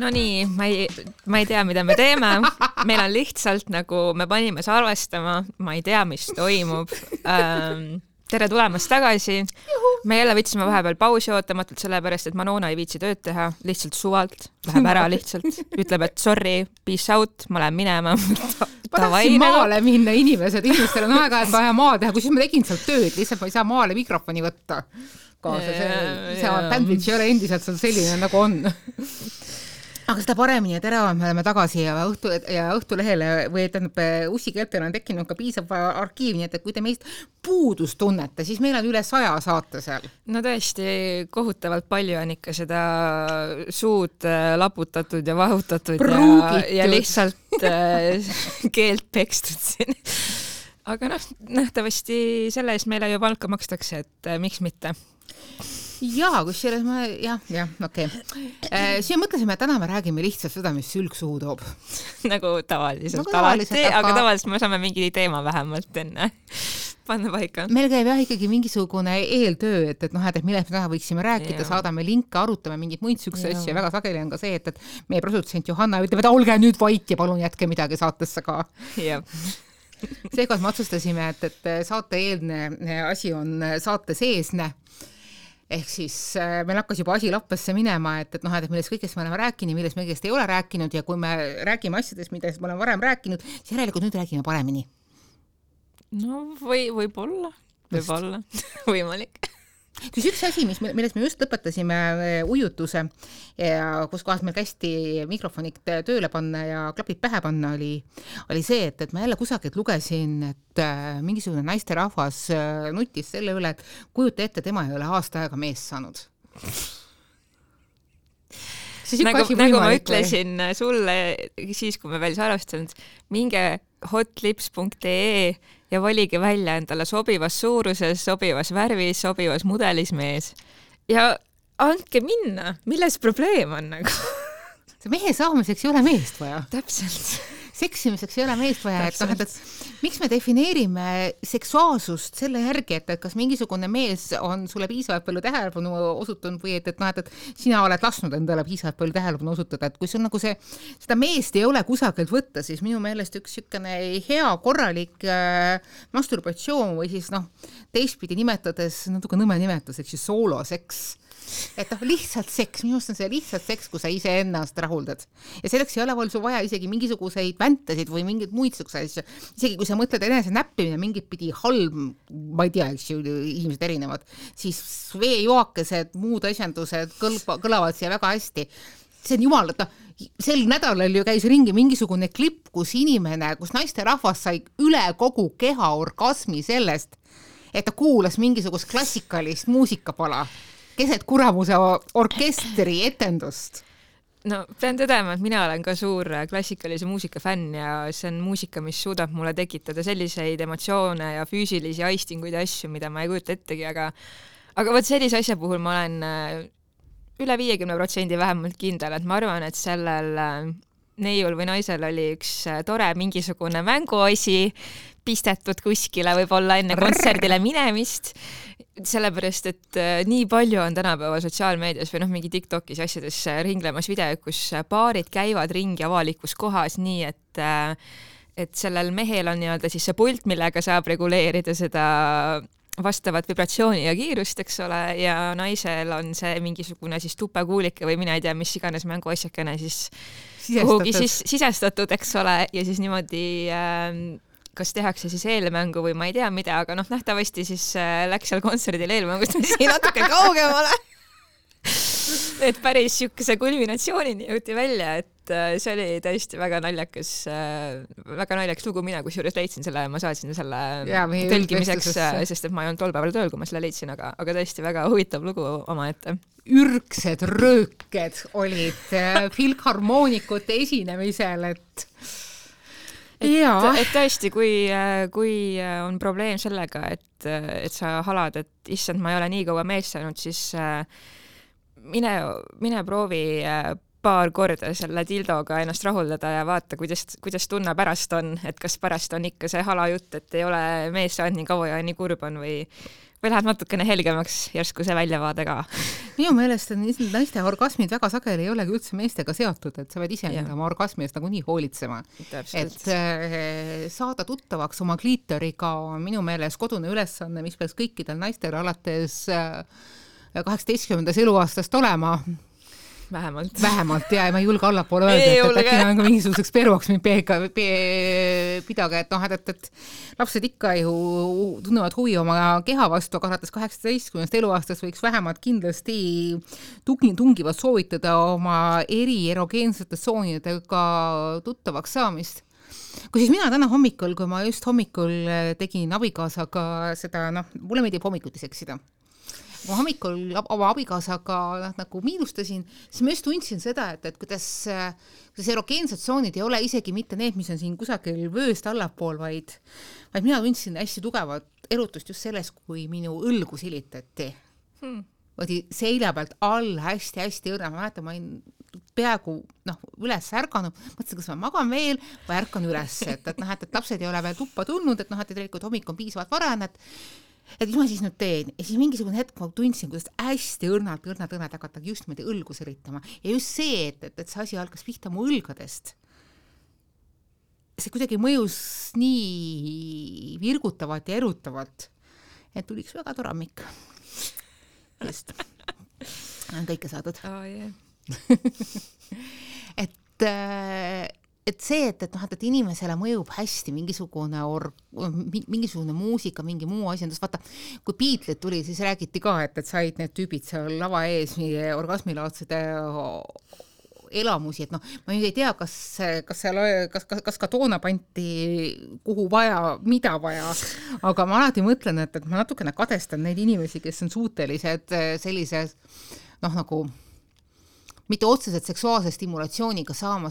No nii, ma ei tea, mida me teeme. Meil on lihtsalt nagu, me panime salvestama, ma ei tea, mis toimub. Tere tulemast tagasi. Me jälle võtsime vahepeal pausi ootamatult, sellepärast, et Manona ei viitsi tööd teha, lihtsalt suvalt, läheb ära lihtsalt, ütleb, et sorry, peace out, ma lähen minema. Tahtsin maale minna inimestel on aega, et vaja maa teha, kui siis ma tegin seal tööd, lihtsalt ma ei saa maale mikrofoni võtta. See bandwidth ei ole endiselt seal selline, nagu on. Aga seda paremini ja teravalt me oleme tagasi ja Õhtulehele või ussikeeltele on tekkinud ka piisav arkiiv, nii et kui te meist puudust tunnete, siis meil on üle 100 saate seal. No tõesti, kohutavalt palju on ikka seda suud laputatud ja vahutatud ja lihtsalt keelt pekstud siin. Aga nähtavasti selle eest meile ju palka makstakse, et miks mitte? Jaa, kus selles okei. Siin mõtlesime, et täna me räägime lihtsalt seda, mis sülg suhu toob. Nagu tavaliselt alati, aga tavaliselt me saame mingi teema vähemalt enne panna paika. Meil käib ikkagi mingisugune eeltöö, et millest me täna võiksime rääkida, saadame linke, arutame mingit muid sükse asja. Väga sageli on ka see, et meie produtsent Johanna ütleb, et olge nüüd vait ja palun jätke midagi saatesse ka. Jah. Seekord me otsustasime, et saate eelne asi on saate seesne. Ehk siis meil hakkas juba asi lappesse minema, et millest kõigest me oleme rääkinud, millest me kõigest ei ole rääkinud ja kui me räägime asjadest, mida me oleme varem rääkinud, siis järelikult nüüd räägime paremini. No võib-olla võimalik. Kus üks asi, millest me just lõpetasime ujutuse ja kus kohas meil kästi mikrofonid tööle panna ja klapid pähe panna, oli see, et ma jälle kusagilt lugesin, et mingisugune naisterahvas nutis selle üle, et kujuta ette, tema ei ole aasta aega mees saanud. Nagu ma ütlesin sulle siis, kui me veel salvestanud, minge hotlips.ee ja valige välja endale sobivas suuruses, sobivas värvis, sobivas mudelis mees. Ja andke minna, milles probleem on nagu? See mehe saamiseks ei ole meest vaja. Täpselt. Seksimiseks ei ole meest vaja, et miks me defineerime seksuaalsust selle järgi, et kas mingisugune mees on sulle piisavalt palju tähelepanu osutunud või et sina oled lasknud endale piisavalt palju tähelepanu osutada, et kui sul nagu seda meest ei ole kusagilt võtta, siis minu meelest üks sükene hea korralik masturbatsioon või siis teistpidi nimetades, natuke nõme nimetuseks, sooloseks. Et lihtsalt seks, minust on see lihtsalt seks, kui sa ise ennast rahuldad. Ja selleks ei ole veel su vaja isegi mingisuguseid väntasid või mingid muid asju. Isegi kui sa mõtled enese näppimine mingit pidi halb, ma ei tea, eks ju, inimesed erinevad, siis veejoakesed, muud asjandused kõlavad siia väga hästi. See on jumal, sel nädalal ju käis ringi mingisugune klipp, kus naisterahvas sai üle kogu keha orgasmi sellest, et ta kuulas mingisugust klassikalist muusikapala keset kuramuse orkestri etendust. No, pean tõdema, et mina olen ka suur klassikalise muusika fänn ja see on muusika, mis suudab mulle tekitada selliseid emotsioone ja füüsilisi aistinguid ja asju, mida ma ei kujuta ettegi, aga võt sellise asja puhul ma olen üle 50% vähemalt kindel, et ma arvan, et sellel neiul või naisel oli üks tore mingisugune mänguasi pistetud kuskile võib-olla enne kontserdile minemist, sellepärast, et nii palju on tänapäeva sotsiaalmeedias või mingi TikTokis asjades ringlemas videod, kus paarid käivad ringi avalikus kohas nii, et sellel mehel on siis see pult, millega saab reguleerida seda vastavat vibratsiooni ja kiirust, eks ole, ja naisel on see mingisugune tupekuulike või mina ei tea, mis iganes mänguasjakene kuhugi sisestatud, eks ole, ja siis niimoodi kas tehakse eelmängu või ma ei tea mida, aga nähtavasti läks seal kontserdil eelmängust natuke kaugemale. Et päris siukese kulminatsioonini jõuti välja, et see oli tõesti väga naljakas lugu, mina kusjuures leidsin selle, ma saatsin selle tõlgimiseks, sest et ma ei olnud tol päeval tööl, kui ma selle leidsin, aga tõesti väga huvitav lugu oma ette. Ürgsed rööked olid filharmoonikute esinemisel, et tõesti, kui on probleem sellega, et sa halad, et issand, ma ei ole nii kaua mees saanud, siis mine proovi paar korda selle dildoga ennast rahuldada ja vaata, kuidas tunne pärast on, et kas pärast on ikka see hala jutt, et ei ole mees saanud nii kaua ja nii kurb on või või läheb natukene helgemaks järsku see väljavaade ka? Minu meelest on naiste orgasmid väga sageli ei olegi üldse meestega seotud, et sa pead ise oma orgasmi eest nagu nii hoolitsema. Täpselt. Et saada tuttavaks oma kliitoriga on minu meelest kodune ülesanne, mis peaks kõikidel naistel alates 18. eluaastast olema. Vähemalt ja ma ei julge allapoole öelda, et äkki on ka mingisuguseks peruaks mind pidage, et lapsed ikka ju tunnevad huvi oma keha vastu, aga alates 18. eluaastast võiks vähemalt kindlasti tungivalt soovitada oma erogeensete tsoonidega tuttavaks saamist. Kui siis mina täna hommikul, kui ma just hommikul tegin abikaasaga seda, mulle meeldib hommikuti seksida. Ma hommikul oma abikaasaga nagu miinustasin, siis ma just tundsin seda, et kuidas erogeensed tsoonid ei ole isegi mitte need, mis on siin kusagil vööst allapool, vaid mina tundsin hästi tugevat erutust just selles, kui minu õlgu silitati. Võdi selja pealt all hästi õrna. Ma mäletan, ma olin peaaegu üles ärganud, mõtlesin, kas ma magan veel või ärkan üles, et lapsed ei ole veel tuppa tulnud, et tegelikult hommik on piisavalt varane, et mis ma siis nüüd teen? Ja siis mingisugune hetk ma tundsin, kuidas hästi õrnalt hakata just mõnda õlgu sõritama. Ja just see, et see asi algas pihta mu õlgadest. See kuidagi mõjus nii virgutavalt ja erutavalt, et tuli üks väga toramik. Just. On kõike saadud. Oh, yeah. et see, et inimesele mõjub hästi mingisugune muusika, mingi muu asi. Vaata, kui Beatles tuli, siis räägiti ka, et said need tüübid seal lava ees orgasmilaadsed elamusi, et ma nüüd ei tea, kas ka toona panti kuhu vaja, mida vaja, aga ma alati mõtlen, et ma natukene kadestan neid inimesi, kes on suutelised sellises nagu mitte otseselt seksuaalse stimulatsiooniga saama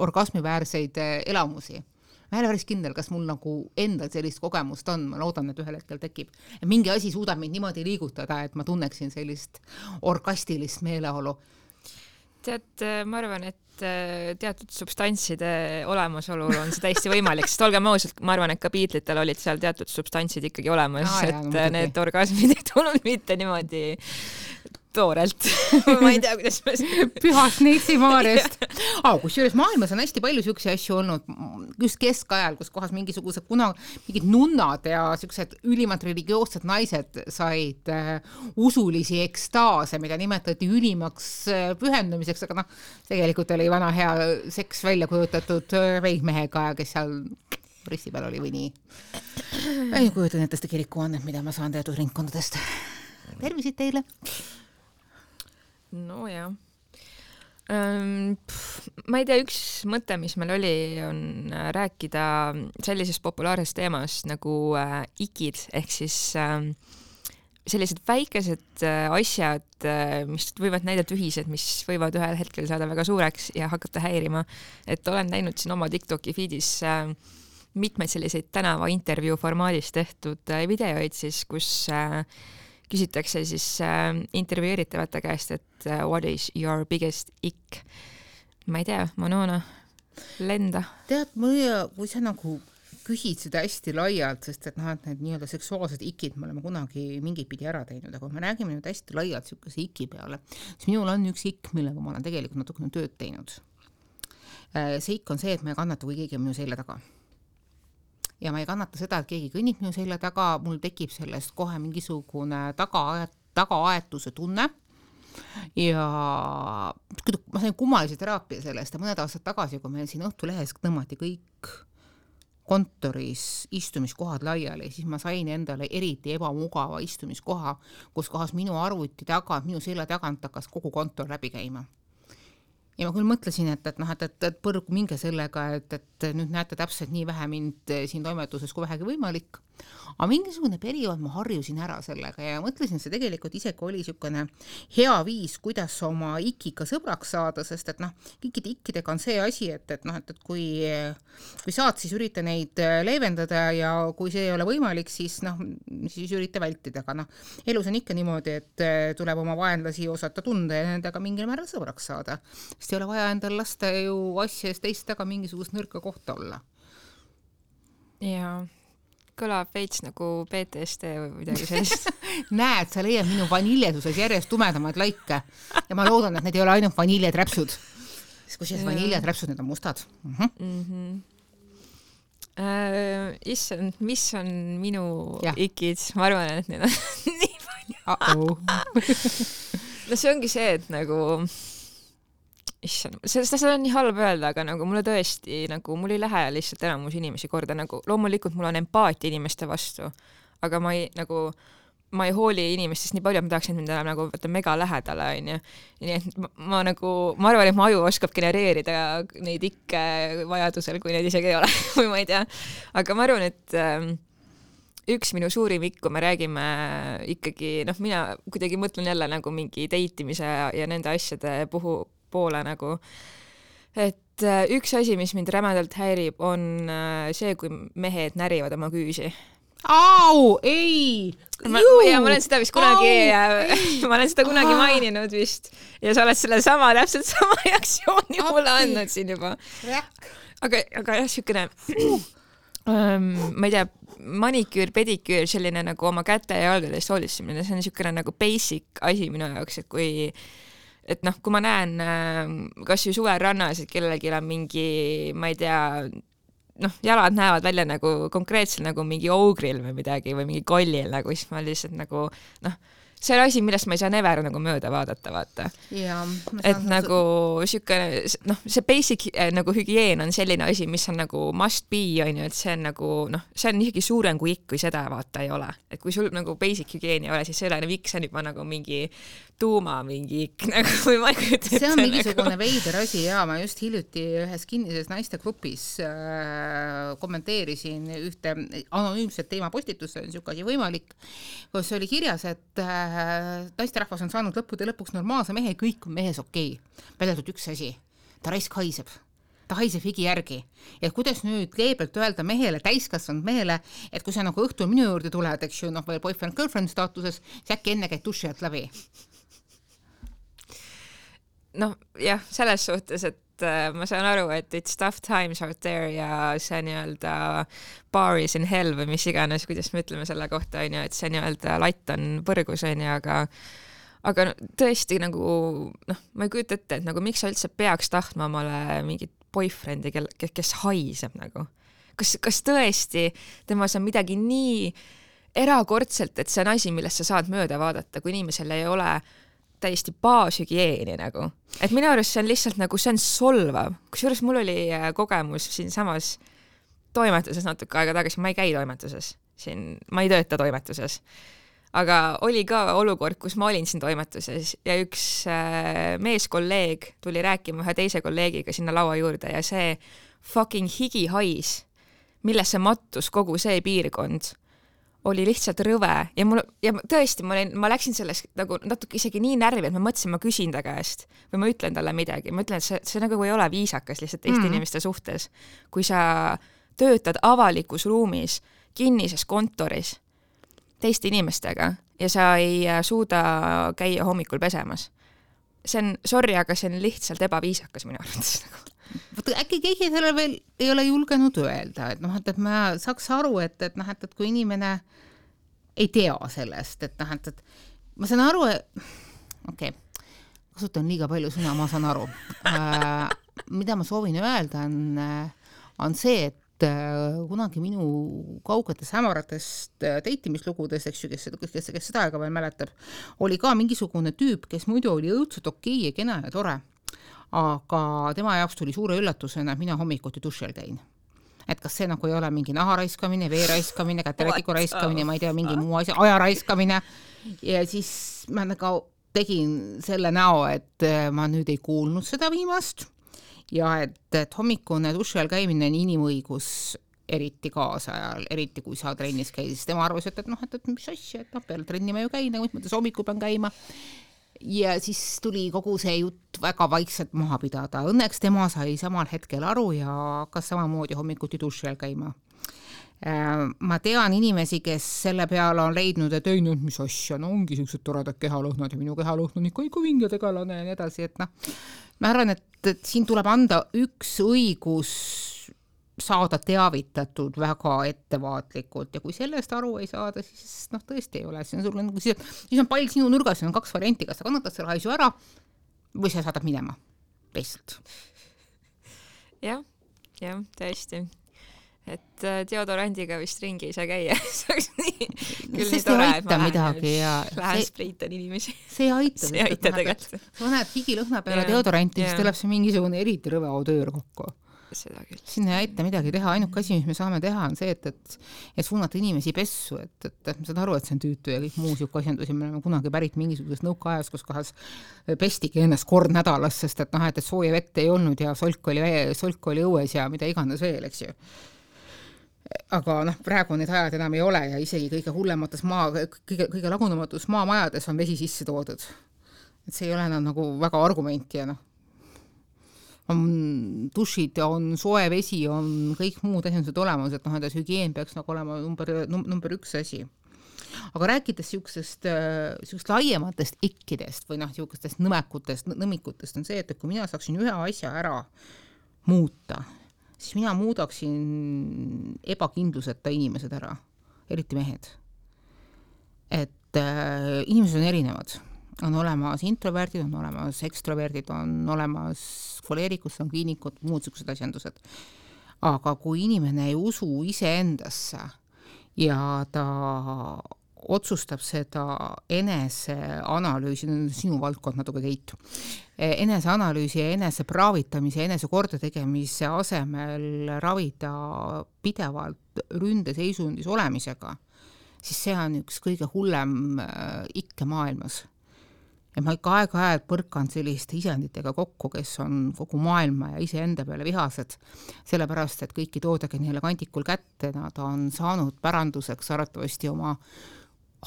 orgasmiväärseid elamusi. Ma ei ole päris kindel, kas mul nagu endal sellist kogemust on, ma loodan, et ühel hetkel tekib. Et mingi asi suudab mind niimoodi liigutada, et ma tunneksin sellist orgastilist meeleolu. Tead, ma arvan, et teatud substantside olemasolul on see täiesti võimalik, sest olgem ausalt, ma arvan, et ka Beatlitel olid seal teatud substantsid ikkagi olemas, need orgasmid ei tulnud mitte niimoodi toorelt. Ma ei tea, kuidas ma pühast Neitsi-Maarest. Kusjuures maailmas on hästi palju siukse asju olnud, just keskajal, kus kohas mingisugused mingid nunnad ja siuksed ülimalt religioossed naised said usulisi ekstaase, mida nimetati ülimaks pühendumiseks, aga tegelikult oli vana hea seks välja kujutatud veidmehega, kes seal risti peal oli või nii. Ei kujutan ette seda kirikuannet, mida ma saan teatud ringkondadest. Tervisid teile! No jah. Ma ei tea, üks mõte, mis meil oli, on rääkida sellisest populaarsest teemast nagu ikid, ehk siis sellised väikesed asjad, mis võivad näidata ühised, mis võivad ühel hetkel saada väga suureks ja hakata häirima. Et olen näinud siin oma TikToki feedis mitmeid selliseid tänava intervjuu formaadis tehtud videoid, siis, kus küsitakse siis intervjueeritavate käest, et what is your biggest ick? Ma ei tea, Manona, lenda. Tead, kui sa nagu küsid seda hästi laialt, sest et need nii-öelda seksuaalsed ikid me oleme kunagi mingit pidi ära teinud, aga kui me räägime nüüd hästi laialt siukese iki peale, siis minul on üks ikk, millega ma olen tegelikult natukene tööd teinud. See ikk on see, et ma ei kannata, kui keegi on minu selja taga. Ja ma ei kannata seda, et keegi kõnnib minu selja taga, mul tekib sellest kohe mingisugune tagaaetuse tunne ja ma sain kummalise teraapia sellest ja mõned aastad tagasi, kui meil siin Õhtulehes tõmmati kõik kontoris istumiskohad laiali, siis ma sain endale eriti ebamugava istumiskoha, kus kohas minu arvuti taga, minu selja tagant hakkas kogu kontor läbi käima. Ja ma küll mõtlesin, et põrgu minge sellega, et nüüd näete täpselt nii vähe mind siin toimetuses kui vähegi võimalik. Aga mingisugune periood ma harjusin ära sellega ja mõtlesin, see tegelikult isegi oli niisugune hea viis, kuidas oma ikiga sõbraks saada, sest et kõikide ikkidega on see asi, et kui saad, siis ürita neid leevendada ja kui see ei ole võimalik, siis ürita vältida. Aga elus on ikka niimoodi, et tuleb oma vaenlasi osata tunda ja nendega mingil määral sõbraks saada. Sest ei ole vaja endal lasta ju asjast teist taga mingisugust nõrka kohta olla. Ja kõlab veits nagu PTSD või midagi sellist. Näed, sa leiad minu vaniljeduses järjest tumedamaid laike ja ma loodan, et need ei ole ainult vaniljeträpsud. Kusjuures vaniljeträpsud, need on mustad. Issand, mis on minu ikid? Ma arvan, et need on nii palju. No see ongi see, et nagu issand, seda on nii halb öelda, aga nagu mulle tõesti, nagu mul ei lähe lihtsalt enamus inimesi korda, nagu loomulikult mul on empaatia inimeste vastu, aga ma ei hooli inimestest nii palju, et ma tahaks, et mind enam nagu mega lähedale, onju. Nii et ma arvan, et ma aju oskab genereerida neid ikke vajadusel, kui neid isegi ei ole, või ma ei tea. Aga ma arvan, et üks minu suurim ikk, kui me räägime ikkagi, mina kuidagi mõtlen jälle nagu mingi deitimise ja nende asjade poole nagu, et üks asi, mis mind rämedalt häirib, on see, kui mehed närivad oma küüsi. Au, ei! Ma olen seda vist kunagi, ma olen seda kunagi maininud vist ja sa oled selle täpselt sama reaktsiooni mulle andnud siin juba. Aga jah, siukene ma ei tea, maniküür, pediküür, selline nagu oma käte ja jalgadest hoolitsemine, see on siukene nagu basic asi minu jaoks, et kui ma näen kas ju suvel rannas, et kellelgi on mingi, ma ei tea, jalad näevad välja nagu konkreetselt nagu mingi ogril või midagi või mingi kollil nagu, siis ma lihtsalt nagu, see on asi, millest ma ei saa never nagu mööda vaadata, vaata. Et nagu siukene, see basic nagu hügieen on selline asi, mis on nagu must be, onju, et see on nagu, see on isegi suurem kui ikk, kui seda vaata ei ole. Et kui sul nagu basic hügieen ei ole, siis selle ikk see on juba nagu mingi tuuma mingi ikk, nagu või ma ei kujuta. See on mingisugune veider asi ja ma just hiljuti ühes kinnises naistegrupis kommenteerisin ühte anonüümset teemapostitust, see on siuke asi võimalik, kus oli kirjas, et naisterahvas on saanud lõppude lõpuks normaalse mehe, kõik on mehes okei. Peletult üks asi, ta raisk haiseb. Ta haiseb higi järgi. Ja kuidas nüüd leebelt öelda mehele, täiskasvanud mehele, et kui sa nagu õhtul minu juurde tuled, eks ju, veel boyfriend-girlfriend staatuses, siis äkki enne käid duši alt läbi. Jah, selles suhtes, et ma saan aru, et it's tough times out there ja see nii-öelda bar is in hell või mis iganes, kuidas me ütleme selle kohta, on ju, et see nii-öelda latt on põrgus, on ju, aga tõesti nagu, ma ei kujuta ette, et nagu miks sa üldse peaks tahtma omale mingit boyfriend'i, kes haiseb nagu. Kas tõesti temas on midagi nii erakordselt, et see on asi, millest sa saad mööda vaadata, kui inimesel ei ole täiesti baashügieeni nagu. Et minu arust see on lihtsalt nagu, see on solvav. Kusjuures mul oli kogemus siin samas toimetuses natuke aega tagasi, ma ei käi toimetuses. Ma ei tööta toimetuses. Aga oli ka olukord, kus ma olin siin toimetuses ja üks meeskolleeg tuli rääkima ühe teise kolleegiga sinna laua juurde ja see fucking higihais, millesse mattus kogu see piirkond, oli lihtsalt rõve ja tõesti, ma läksin sellest nagu natuke isegi nii närvi, et ma mõtlesin, ma küsin ta käest või ma ütlen talle midagi. Ma ütlen, et see nagu ei ole viisakas lihtsalt teiste inimeste suhtes. Kui sa töötad avalikus ruumis, kinnises kontoris teiste inimestega ja sa ei suuda käia hommikul pesemas. See on, sorry, aga see on lihtsalt ebaviisakas minu arvates nagu. Äkki keegi selle veel ei ole julgenud öelda, et et ma saaks aru, et kui inimene ei tea sellest, et ma saan aru, kasutan liiga palju sõna, ma saan aru. Mida ma soovin öelda on see, et kunagi minu kaugetes hämaratest deitimislugudes, eks ju, kes seda aega veel mäletab, oli ka mingisugune tüüp, kes muidu oli õudselt okei ja kena ja tore. Aga tema jaoks tuli suure üllatusena, et mina hommikuti dušel käin. Et kas see nagu ei ole mingi naha raiskamine, vee raiskamine, käteletiku raiskamine, ma ei tea, mingi muu asja, aja raiskamine. Ja siis ma nagu tegin selle näo, et ma nüüd ei kuulnud seda viimast ja et hommikune dušel käimine on inimõigus eriti kaasajal, eriti kui sa trennis käisid. Tema arvas, et mis asja, et peale trenni ma ju käin, nagu mõttes hommikul pean käima. Ja siis tuli kogu see jutt väga vaikselt maha pidada. Õnneks tema sai samal hetkel aru ja hakkas samamoodi hommikuti dušel käima. Ma tean inimesi, kes selle peale on leidnud, et ei nüüd mis asja, ongi sellised toredad kehalõhnad ja minu kehalõhn on ikka vinge tegelane ja nii edasi, et ma arvan, et siin tuleb anda üks õigus saada teavitatud väga ettevaatlikult ja kui sellest aru ei saada, siis tõesti ei ole, siis on pall sinu nurgas, on 2 varianti, kas sa kannatad selle asju ära või sa saadad minema teistelt. jah, tõesti. Et deodorandiga vist ringi ei saa käia. See oleks küll nii tore, et ma lähen spriitan inimesi. See ei aita. See ei aita tegelikult. Sa paned higilõhna peale deodoranti, siis tuleb see mingisugune eriti rõve odöör kokku. Seda küll. Sinna ei aita midagi teha, ainuke asi, mis me saame teha, on see, et suunata inimesi pessu, et ma saan aru, et see on tüütu ja kõik muu siuke asjandusi, me oleme kunagi pärit mingisugusest nõukaajas, kus kohas pestigi ennast kord nädalas, sest et sooja vett ei olnud ja solk oli õues ja mida iganes veel, eks ju. Aga praegu need ajad enam ei ole ja isegi kõige hullemates kõige lagunematus maamajades on vesi sisse toodud. Et see ei ole enam nagu väga argumenti ja on dušid, on soe vesi, on kõik muud asjandused olemas, et et hügieen peaks olema number 1 asi. Aga rääkides siuksest laiematest ikkidest või siukestest nõmikutest on see, et kui mina saaksin ühe asja ära muuta, siis mina muudaksin ebakindluseta inimesed ära, eriti mehed. Et inimesed on erinevad. On olemas introverdid, on olemas ekstroverdid, on olemas koleerikud, sanguiinikud, muud siuksed asjandused. Aga kui inimene ei usu iseendasse ja ta otsustab seda eneseanalüüsi, sinu valdkond natuke Keit, eneseanalüüsi ja enesepraavitamise, enese kordategemise asemel ravida pidevalt ründeseisundis olemisega, siis see on üks kõige hullem ikke maailmas. Ja ma ikka aeg-ajalt põrkan selliste isenditega kokku, kes on kogu maailma ja iseenda peale vihased, sellepärast, et kõiki toodagi neile kandikul kätte, nad on saanud päranduseks arvatavasti oma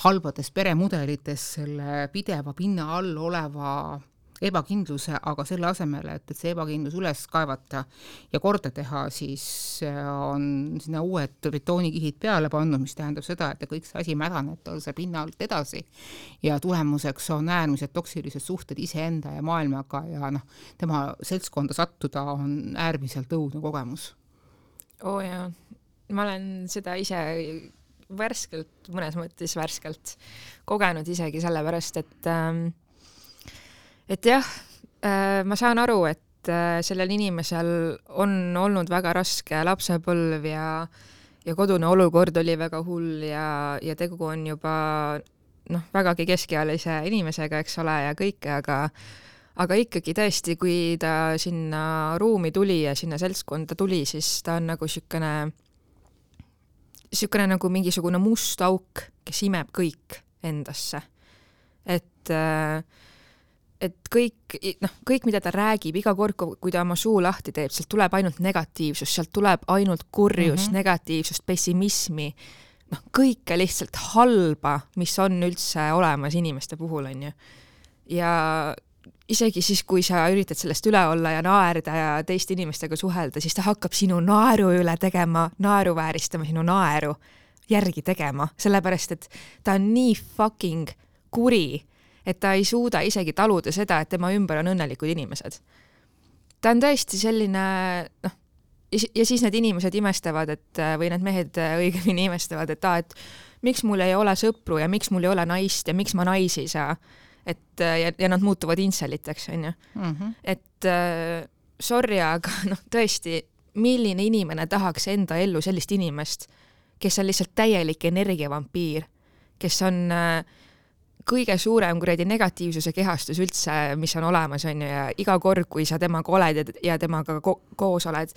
halbades peremudelites selle pideva pinna all oleva ebakindluse, aga selle asemel, et see ebakindlus üles kaevata ja korda teha, siis on sinna uued betoonikihid peale pannud, mis tähendab seda, et kõik see asi mädaneb see pinna alt edasi ja tulemuseks on äärmiselt toksilised suhted iseenda ja maailmaga ja tema seltskonda sattuda on äärmiselt õudne kogemus. Jaa, ma olen seda ise mõnes mõttes värskelt kogenud isegi sellepärast, et jah, ma saan aru, et sellel inimesel on olnud väga raske lapsepõlv ja kodune olukord oli väga hull ja tegu on juba vägagi keskealise inimesega, eks ole, ja kõike, aga ikkagi tõesti, kui ta sinna ruumi tuli ja sinna seltskonda tuli, siis ta on nagu siukene nagu mingisugune must auk, kes imeb kõik endasse. Et kõik, mida ta räägib, iga kord, kui ta oma suu lahti teeb, sealt tuleb ainult negatiivsus, sealt tuleb ainult kurjus, negatiivsust, pessimismi, kõike lihtsalt halba, mis on üldse olemas inimeste puhul, on ju. Ja isegi siis, kui sa üritad sellest üle olla ja naerda ja teiste inimestega suhelda, siis ta hakkab sinu naeru üle tegema, naeruvääristama, sinu naeru järgi tegema, sellepärast, et ta on nii fucking kuri, et ta ei suuda isegi taluda seda, et tema ümber on õnnelikud inimesed. Ta on tõesti selline, ja siis need inimesed imestavad, või need mehed õigemini imestavad, et miks mul ei ole sõpru ja miks mul ei ole naist ja miks ma naisi ei saa. Ja nad muutuvad inseliteks, on ju. Et sorry, aga tõesti, milline inimene tahaks enda ellu sellist inimest, kes on lihtsalt täielik energiavampiir, kes on kõige suurem kuradi negatiivsuse kehastus üldse, mis on olemas, on ju, ja iga kord, kui sa temaga oled ja temaga koos oled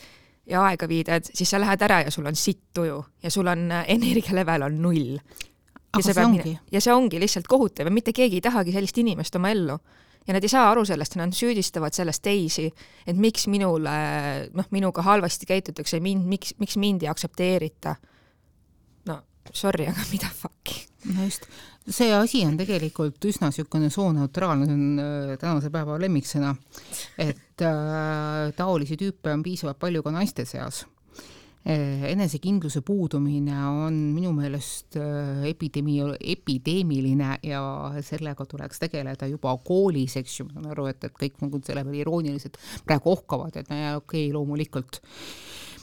ja aega viidad, siis sa lähed ära ja sul on sitt tuju ja sul on energialevel on 0. Ja see ongi lihtsalt kohutav ja mitte keegi ei tahagi sellist inimest oma ellu. Ja nad ei saa aru sellest, nad süüdistavad sellest teisi, et miks minuga halvasti käitutakse, miks mind ei aktsepteerita. Sorry, aga mida fucki? Just. See asi on tegelikult üsna siukene sooneutraalne, see on tänase päeva lemmiksõna, et taolisi tüüpe on piisavalt palju ka naiste seas. Enesekindluse puudumine on minu meelest epideemiline ja sellega tuleks tegeleda juba koolis, eks ju, ma saan aru, et kõik nagu selle peale irooniliselt praegu ohkavad, et okei, loomulikult.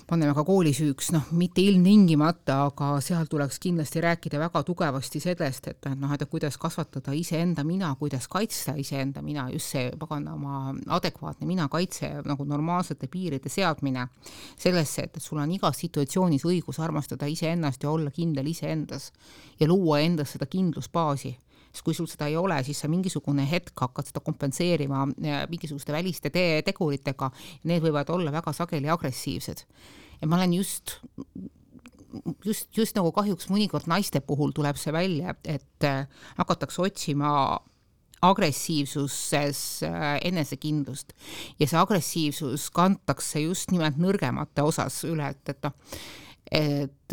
paneme ka koolisüüks, mitte ilmtingimata, aga seal tuleks kindlasti rääkida väga tugevasti sellest, et kuidas kasvatada iseenda mina, kuidas kaitsta iseenda mina, just see paganama adekvaatne mina kaitse nagu normaalsete piiride seadmine sellesse, et sul on igas situatsioonis õigus armastada iseennast ja olla kindel iseendas ja luua endas seda kindlusbaasi. Sest kui sul seda ei ole, siis sa mingisugune hetk hakkad seda kompenseerima mingisuguste väliste teguritega, need võivad olla väga sageli agressiivsed. Ja ma olen just nagu kahjuks mõnikord naiste puhul tuleb see välja, et hakatakse otsima agressiivsuses enesekindlust ja see agressiivsus kantakse just nimelt nõrgemate osas üle, et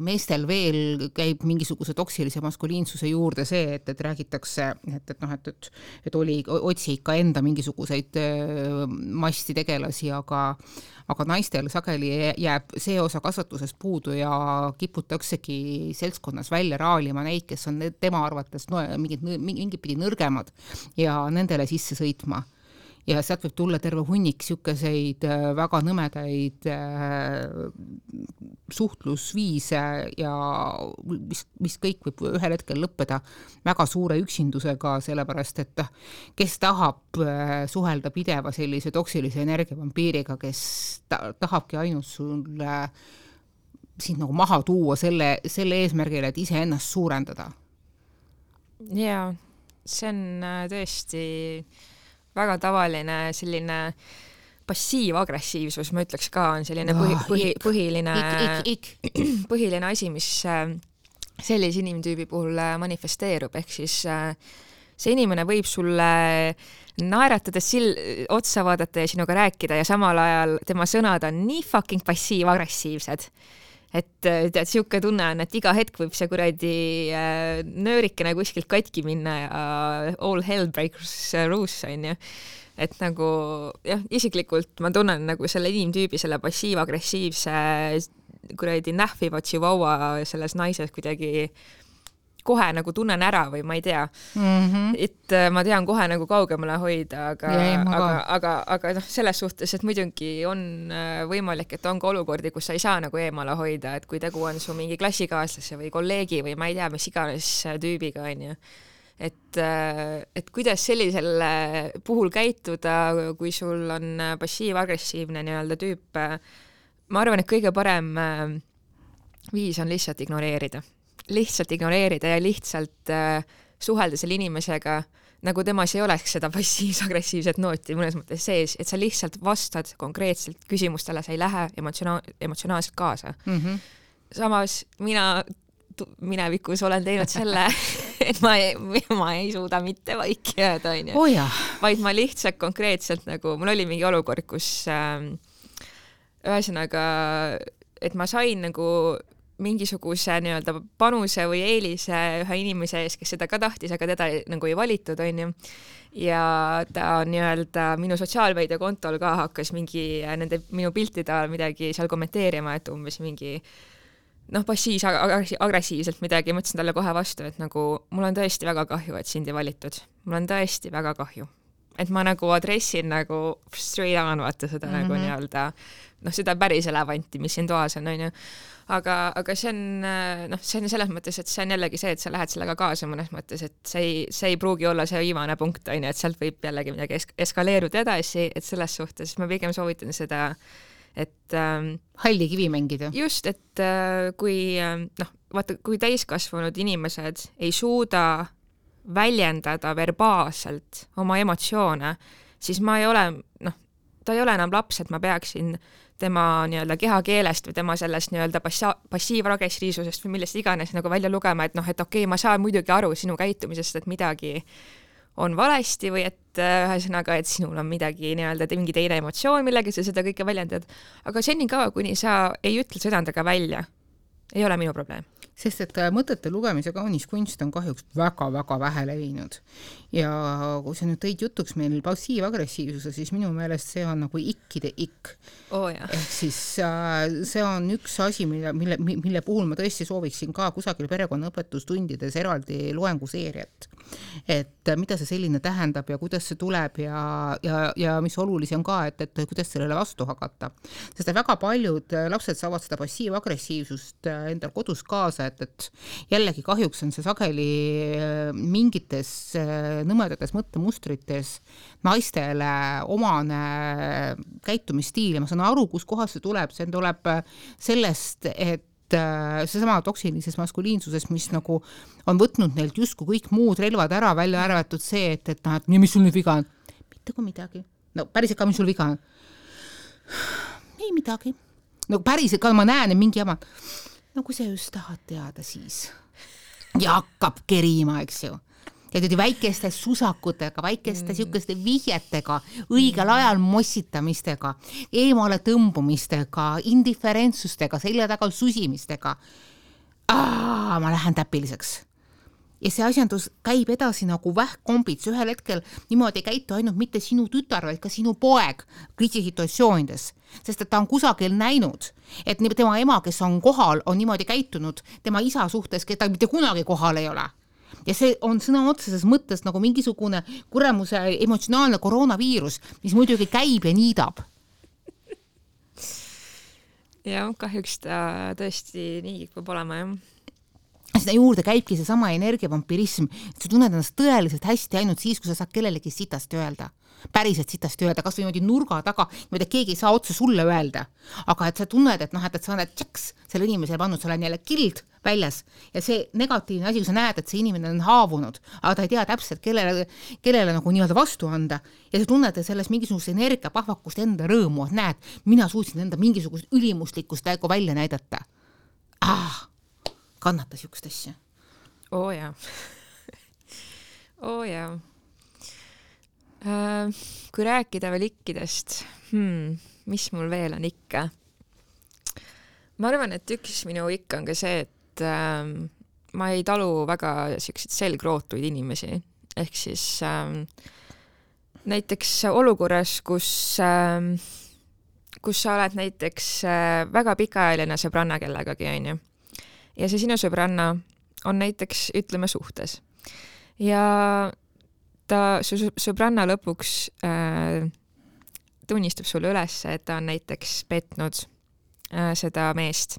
meestel veel käib mingisuguse toksilise maskuliinsuse juurde see, et räägitakse, et otsi ikka enda mingisuguseid masti tegelasi, aga naistel sageli jääb see osa kasvatusest puudu ja kiputaksegi seltskonnas välja raalima neid, kes on tema arvates mingid pidi nõrgemad ja nendele sisse sõitma. Ja sealt võib tulla terve hunnik siukeseid väga nõmedaid suhtlusviise ja mis kõik võib ühel hetkel lõppeda väga suure üksindusega, sellepärast et kes tahab suhelda pideva sellise toksilise energiavampiiriga, kes tahabki ainult sulle sind nagu maha tuua selle eesmärgile, et ise ennast suurendada. Jaa, see on tõesti väga tavaline selline passiivagressiivsus, ma ütleks ka, on selline põhiline asi, mis sellise inimtüübi puhul manifesteerub, ehk siis see inimene võib sulle naeratades otsa vaadata ja sinuga rääkida ja samal ajal tema sõnad on nii fucking passiivagressiivsed, et tead, siuke tunne on, et iga hetk võib see kuradi nöörikene kuskilt katki minna ja all hell breaks loose, on ju. Et nagu, jah, isiklikult ma tunnen nagu selle inimtüübi, selle passiivagressiivse kuradi nähviva chihuahua selles naises kuidagi kohe nagu tunnen ära või ma ei tea. Et ma tean kohe nagu kaugemale hoida, aga selles suhtes, et muidugi on võimalik, et on ka olukordi, kus sa ei saa nagu eemale hoida, et kui tegu on su mingi klassikaaslase või kolleegi või ma ei tea, mis iganes tüübiga on ju. Et kuidas sellisel puhul käituda, kui sul on passiiv-agressiivne nii-öelda tüüp, ma arvan, et kõige parem viis on lihtsalt ignoreerida ja lihtsalt suhelda selle inimesega, nagu temas ei oleks seda passiivs-agressiivset nooti mõnes mõttes sees, et sa lihtsalt vastad konkreetselt küsimustele, sa ei lähe emotsionaalselt kaasa. Samas mina minevikus olen teinud selle, et ma ei suuda mitte vaiki jääda, on ju. Vaid ma lihtsalt konkreetselt nagu, mul oli mingi olukord, kus ühesõnaga, et ma sain nagu mingisuguse nii-öelda panuse või eelise ühe inimese ees, kes seda ka tahtis, aga teda nagu ei valitud, on ju. Ja ta nii-öelda minu sotsiaalmeedia kontol ka hakkas minu piltide all midagi seal kommenteerima, et umbes mingi passiivs-agressiivselt midagi, mõtlesin talle kohe vastu, et nagu mul on tõesti väga kahju, et sind ei valitud. Mul on tõesti väga kahju. Et ma nagu adressin nagu straight on, vaata seda nagu nii-öelda, seda päris elevanti, mis siin toas on, on ju. Aga see on selles mõttes, et see on jällegi see, et sa lähed sellega kaasa mõnes mõttes, et see ei pruugi olla see viimane punkt, on ju, et sealt võib jällegi midagi eskaleeruda edasi, et selles suhtes ma pigem soovitan seda, et halli kivi mängida. Just, et kui täiskasvanud inimesed ei suuda väljendada verbaalselt oma emotsioone, siis ta ei ole enam laps, et ma peaksin tema nii-öelda kehakeelest või tema sellest nii-öelda passiivagressiivsusest või millest iganes nagu välja lugema, et okei, ma saan muidugi aru sinu käitumisest, et midagi on valesti või et ühesõnaga, et sinul on midagi nii-öelda mingi teine emotsioon, millega sa seda kõike väljendad. Aga senikaua, kuni sa ei ütle seda endaga välja, ei ole minu probleem. Sest et mõtete lugemise kaunis kunst on kahjuks väga-väga vähe levinud. Ja kui sa nüüd tõid jutuks meil passiivagressiivsuse, siis minu meelest see on nagu ikkide ikk. Ehk siis see on üks asi, mille puhul ma tõesti sooviksin ka kusagil perekonnaõpetustundides eraldi loenguseeriat. et mida see selline tähendab ja kuidas see tuleb ja mis olulisi on ka, et kuidas sellele vastu hakata. Sest väga paljud lapsed saavad seda passiiv-agressiivsust endal kodus kaasa, et jällegi kahjuks on see sageli mingites nõmedates mõttemustrites naistele omane käitumisstiil ja ma saan aru, kus kohas see tuleb sellest, et seesama toksilises maskuliinsuses, mis nagu on võtnud neilt justkui kõik muud relvad ära, välja arvatud see, et mis sul nüüd viga on? Mitte kui midagi. No päriselt ka, mis sul viga on? Ei midagi. No päriselt ka ma näen, et mingi jama. No kui sa just tahad teada, siis. Ja hakkab kerima, eks ju. Ja väikeste susakutega, väikeste sihukeste vihjetega, õigel ajal mossitamistega, eemale tõmbumistega, indiferentsustega, selja taga susimistega. Ma lähen täpiliseks. Ja see asjandus käib edasi nagu vähkombits. Ühel hetkel niimoodi ei käitu ainult mitte sinu tütar, vaid ka sinu poeg kriisisituatsioonides. Sest et ta on kusagil näinud, et tema ema, kes on kohal, on niimoodi käitunud tema isa suhtes, keda mitte kunagi kohal ei ole. Ja see on sõna otseses mõttes nagu mingisugune kuramuse emotsionaalne koroonaviirus, mis muidugi käib ja niidab. Ja kahjuks ta tõesti nii kipub olema, jah. Sinna juurde käibki see sama energiavampirism, et sa tunned ennast tõeliselt hästi ainult siis, kui sa saad kellelegi sitast öelda. Päriselt sitast öelda, kas või niimoodi nurga taga, niimoodi, et keegi ei saa otse sulle öelda. Aga et sa tunned, et sa oled tšaks selle inimesele pannud, sa oled jälle kild väljas ja see negatiivne asi, kui sa näed, et see inimene on haavunud, aga ta ei tea täpselt, kellele nagu nii-öelda vastu anda ja sa tunned selles mingisugust energiapahvakust enda rõõmu, et näed, mina suutsin enda mingisugust ülimuslikkust välja näidata. Kannatas jukst asja. Jaa. Jaa. Kui rääkida veel ikkidest, mis mul veel on ikka? Ma arvan, et üks minu ikka on ka see, et ma ei talu väga selliseid selgrootuid inimesi. Ehk siis näiteks olukorras, kus sa oled näiteks väga pikaajaline sõbranna kellegagi, on ju. Ja see sinu sõbranna on näiteks, ütleme, suhtes. Ja ta sõbranna lõpuks tunnistab sulle üles, et ta on näiteks petnud seda meest.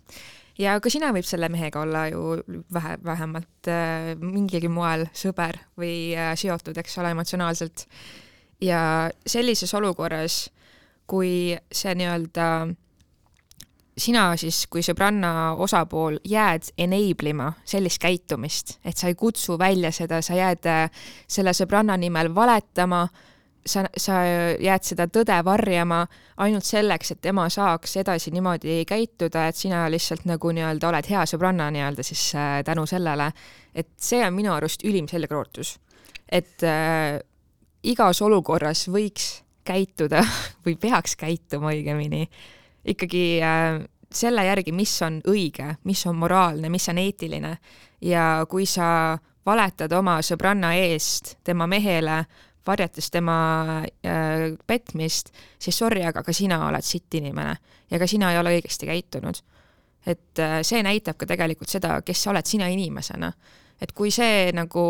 Ja ka sina võib selle mehega olla ju vähemalt mingigi moel sõber või seotud, eks ole, emotsionaalselt. Ja sellises olukorras, kui see nii-öelda sina siis, kui sõbranna osapool jääd enablima sellist käitumist, et sa ei kutsu välja seda, sa jääd selle sõbranna nimel valetama, sa jääd seda tõde varjama ainult selleks, et tema saaks edasi niimoodi käituda, et sina lihtsalt nagu nii-öelda oled hea sõbranna nii-öelda siis tänu sellele, et see on minu arust ülim selgrootus. Et igas olukorras võiks käituda või peaks käituma õigemini ikkagi selle järgi, mis on õige, mis on moraalne, mis on eetiline. Ja kui sa valetad oma sõbranna eest tema mehele, varjates tema petmist, siis sorry, aga ka sina oled sitt inimene ja ka sina ei ole õigesti käitunud. Et see näitab ka tegelikult seda, kes sa oled sina inimesena. Et kui see nagu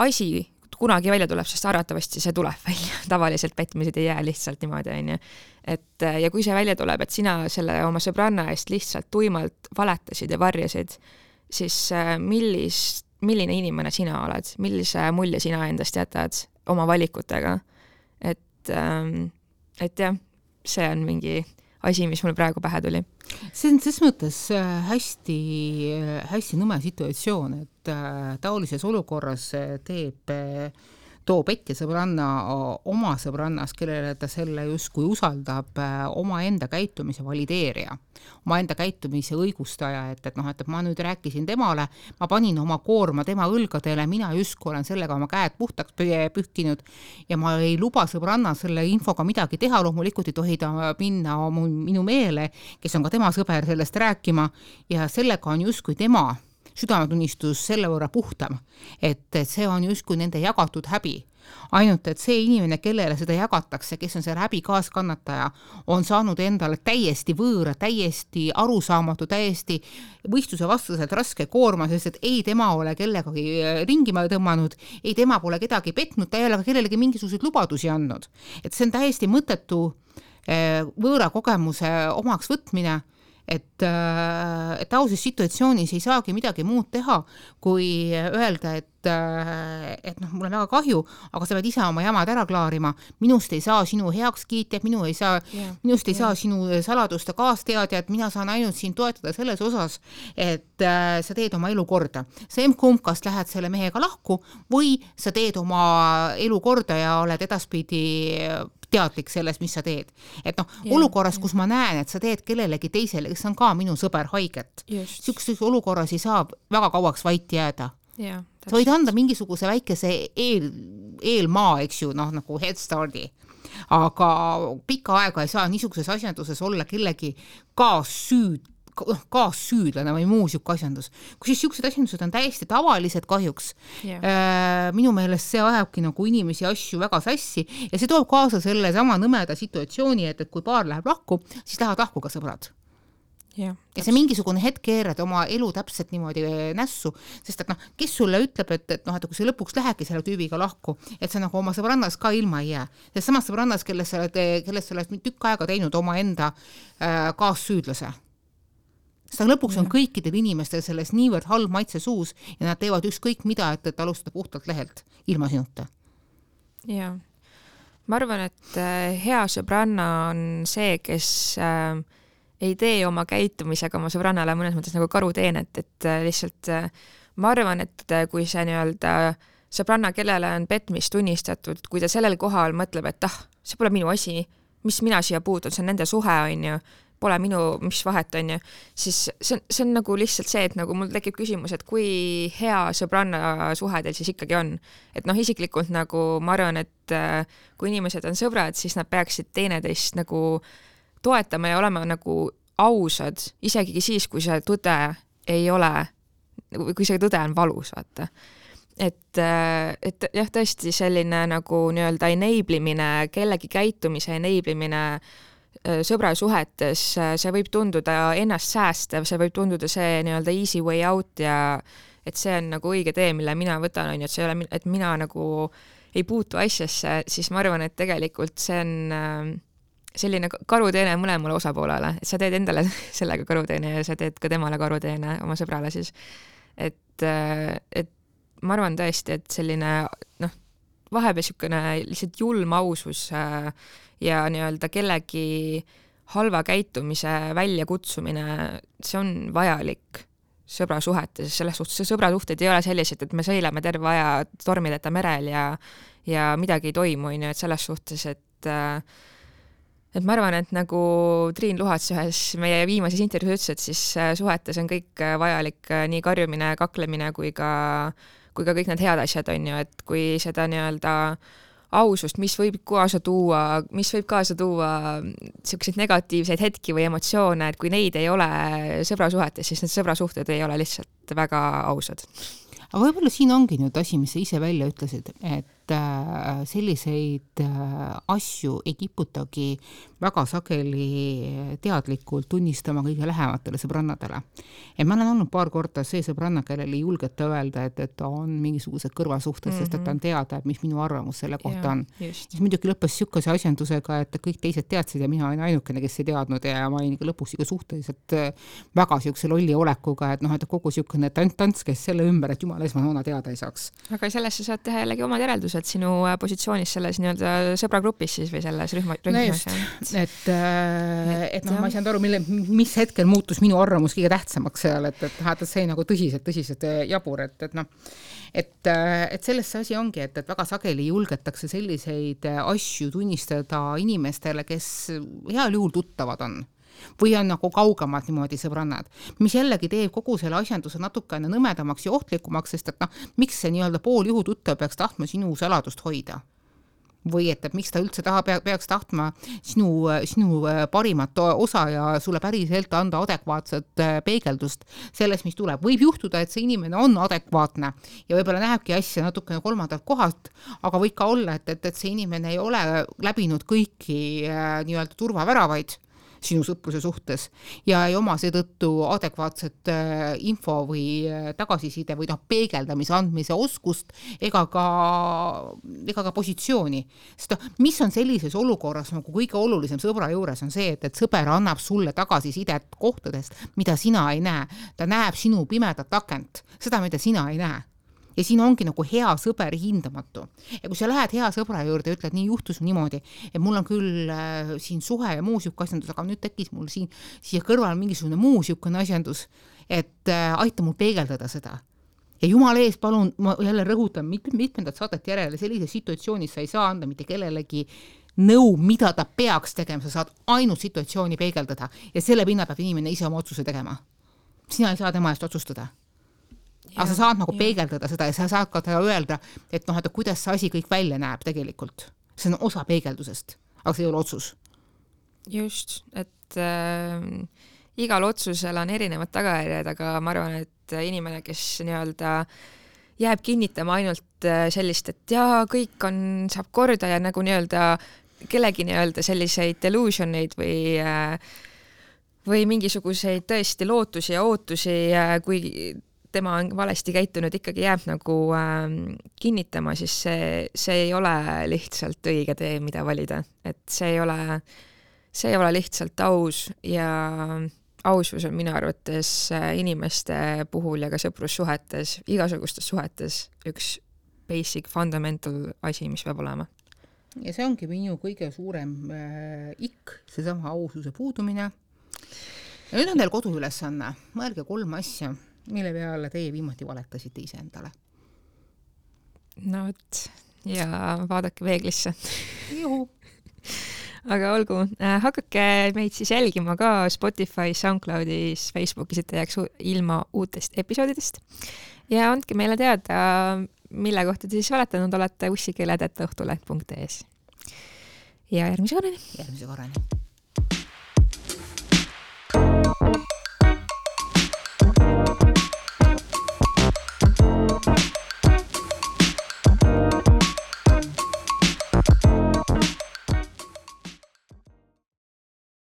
asi kunagi välja tuleb, sest arvatavasti see tuleb välja. Tavaliselt petmised ei jää lihtsalt niimoodi, on ju. Ja kui see välja tuleb, et sina selle oma sõbranna eest lihtsalt tuimalt valetasid ja varjasid, siis milline inimene sina oled? Millise mulje sina endast jätad oma valikutega? Et jah, see on mingi asi, mis mul praegu pähe tuli. See on ses mõttes hästi nõme situatsioon, et taolises olukorras toob ette sõbranna oma sõbrannas, kellele ta selle justkui usaldab oma enda käitumise valideerija, oma enda käitumise õigustaja, et ma nüüd rääkisin temale, ma panin oma koorma tema õlgadele, mina justkui olen sellega oma käed puhtaks pühkinud ja ma ei luba sõbranna selle infoga midagi teha, loomulikult ei tohi ta minna minu meele, kes on ka tema sõber sellest rääkima ja sellega on justkui tema südametunnistus selle võrra puhtam, et see on justkui nende jagatud häbi. Ainult, et see inimene, kellele seda jagatakse, kes on see häbi kaaskannataja, on saanud endale täiesti võõra, täiesti arusaamatu, täiesti võistluse vastaselt raske koorma, sest et ei tema ole kellegagi ringi tõmmanud, ei tema pole kedagi petnud, ta ei ole ka kellelegi mingisuguseid lubadusi andnud. Et see on täiesti mõttetu võõra kogemuse omaks võtmine, et auses situatsioonis ei saagi midagi muud teha, kui öelda, et mul on väga kahju, aga sa pead ise oma jamad ära klaarima, minust ei saa sinu heakskiitjad, minust ei saa sinu saladuste kaasteadjad, mina saan ainult siin toetada selles osas, et sa teed oma elu korda. See kumb, kas lähed selle mehega lahku või sa teed oma elu korda ja oled edaspidi teadlik sellest, mis sa teed. Et olukorras, kus ma näen, et sa teed kellelegi teisele, kes on ka minu sõber haiget, sihukestes olukorras ei saa väga kauaks vait jääda. Sa võid anda mingisuguse väikese eelmaa, eks ju, nagu head starti. Aga pikka aega ei saa niisuguses asjanduses olla kellegi kaassüüdlane või muu siuke asjandus. Kui siis siuksed asjandused on täiesti tavalised kahjuks, minu meelest see ajabki nagu inimesi asju väga sassi ja see toob kaasa selle sama nõmeda situatsiooni, et kui paar läheb lahku, siis lähevad lahku ka sõbrad. Ja see mingisugune hetk keerad oma elu täpselt niimoodi nässu, sest et kes sulle ütleb, et kui see lõpuks lähebki selle tüübiga lahku, et sa nagu oma sõbrannas ka ilma ei jää. Sest samas sõbrannas, kellest sa oled tükk aega teinud oma enda kaassüüdlase. Seda lõpuks on kõikidel inimestel selles niivõrd halb maitse suus ja nad teevad ükskõik mida, et alustada puhtalt lehelt ilma sinuta. Ja. Ma arvan, et hea sõbranna on see, kes ei tee oma käitumisega oma sõbrannale mõnes mõttes nagu karuteenet, et lihtsalt ma arvan, et kui see nii-öelda sõbranna, kellele on petmist tunnistatud, kui ta sellel kohal mõtleb, et see pole minu asi, mis mina siia puutun, see on nende suhe, on ju, pole minu, mis vahet on ju, siis see on nagu lihtsalt see, et nagu mul tekib küsimus, et kui hea sõbranna suhe teil siis ikkagi on. Et isiklikult nagu ma arvan, et kui inimesed on sõbrad, siis nad peaksid teineteist nagu toetama ja olema nagu ausad, isegi siis, kui see tõde ei ole, kui see tõde on valus, vaata. Et jah, tõesti selline nagu nii-öelda enablimine, kellegi käitumise enablimine sõbrasuhetes, see võib tunduda ennast säästev, see võib tunduda see nii-öelda easy way out ja et see on nagu õige tee, mille mina võtan, on ju, et see ei ole, et mina nagu ei puutu asjasse, siis ma arvan, et tegelikult see on selline karuteene mõlemale osapoolele, et sa teed endale sellega karuteene ja sa teed ka temale karuteene oma sõbrale siis. Et ma arvan tõesti, et selline vahepeal niisugune lihtsalt julm ausus ja nii-öelda kellegi halva käitumise väljakutsumine, see on vajalik sõbrasuhetes, selles suhtes see sõbrasuhted ei ole sellised, et me sõileme terve aja tormideta merel ja midagi ei toimu, et selles suhtes, et ma arvan, et nagu Triin Luhats ühes meie viimases intervjuus ütles, et siis suhetes on kõik vajalik, nii karjumine, kaklemine kui ka kõik need head asjad on ju, et kui seda nii-öelda ausust, mis võib kaasa tuua selliseid negatiivseid hetki või emotsioone, et kui neid ei ole sõbrasuhetes, siis need sõbrasuhted ei ole lihtsalt väga ausad. Aga võib-olla siin ongi nüüd asi, mis sa ise välja ütlesid, et selliseid asju ei kiputagi väga sageli teadlikult tunnistama kõige lähematele sõbrannadele. Et ma olen olnud paar korda see sõbranna, kellel ei julgeta öelda, et ta on mingisugused kõrvasuhted, sest et ta on teada, et mis minu arvamus selle kohta on. Siis muidugi lõppes siukese asjandusega, et kõik teised teadsid ja mina olin ainukene, kes ei teadnud ja ma olin lõpuks suhteliselt väga siukse lolli olekuga, et kogu siukene tants käis selle ümber, et jumala esmanoona teada ei saaks. Aga sellest sa saad teha jällegi omad järeldused sinu positsioonis selles nii-öelda sõbragrupis siis või selles rühmas. No just, et ma ei saanud aru, mis hetkel muutus minu arvamus kõige tähtsamaks seal, et see oli nagu tõsiselt jabur, et selles see asi ongi, et väga sageli julgetakse selliseid asju tunnistada inimestele, kes heal juhul tuttavad on või on nagu kaugemad niimoodi sõbrannad, mis jällegi teeb kogu selle asjanduse natukene nõmedamaks ja ohtlikumaks, sest et miks see nii-öelda pooljuhu tuttav peaks tahtma sinu saladust hoida? või et miks ta üldse peaks tahtma sinu parimat osa ja sulle päriselt anda adekvaatset peegeldust sellest, mis tuleb. Võib juhtuda, et see inimene on adekvaatne ja võib-olla näebki asja natukene kolmandalt kohalt, aga võib ka olla, et see inimene ei ole läbinud kõiki nii-öelda turvaväravaid sinu sõpruse suhtes ja ei oma seetõttu adekvaatset info või tagasiside või peegeldamise andmise oskust ega ka positsiooni. Sest mis on sellises olukorras nagu kõige olulisem sõbra juures on see, et sõber annab sulle tagasisidet kohtadest, mida sina ei näe. Ta näeb sinu pimedat akent, seda, mida sina ei näe. Ja siin ongi nagu hea sõber hindamatu. Ja kui sa lähed hea sõbra juurde ja ütled, nii juhtus niimoodi, et mul on küll siin suhe ja muu siuke asjandus, aga nüüd tekkis mul siia kõrval mingisugune muu siukene asjandus, et aita mul peegeldada seda. Ja jumala ees, palun, ma jälle rõhutan mitmendat saadet järele, sellises situatsioonis sa ei saa anda mitte kellelegi nõu, mida ta peaks tegema, sa saad ainult situatsiooni peegeldada ja selle pinna peab inimene ise oma otsuse tegema. Sina ei saa tema eest otsustada. Aga sa saad nagu peegeldada seda ja sa saad ka teda öelda, et kuidas see asi kõik välja näeb tegelikult. See on osa peegeldusest, aga see ei ole otsus. Just, et igal otsusel on erinevad tagajärjed, aga ma arvan, et inimene, kes nii-öelda jääb kinnitama ainult sellist, et jaa, kõik saab korda ja nagu nii-öelda kellegi nii-öelda selliseid delusioneid või mingisuguseid tõesti lootusi ja ootusi, kui tema on valesti käitunud, ikkagi jääb nagu kinnitama, siis see ei ole lihtsalt õige tee, mida valida. Et see ei ole lihtsalt aus ja ausus on minu arvates inimeste puhul ja ka sõprussuhetes, igasugustes suhetes üks basic fundamental asi, mis peab olema. Ja see ongi minu kõige suurem seesama aususe puudumine. Ja nüüd on teil koduülesanne. Mõelge 3 asja, mille peale teie viimati valetasite ise endale. No võt, ja vaadake peeglisse. Juhu. Aga olgu, hakake meid siis jälgima ka Spotify, SoundCloudis, Facebookis, et jääks ilma uutest episoodidest. Ja andke meile teada, mille kohta te siis valetanud olete ussikeeled@õhtuleht.ee. Ja järgmise korrani.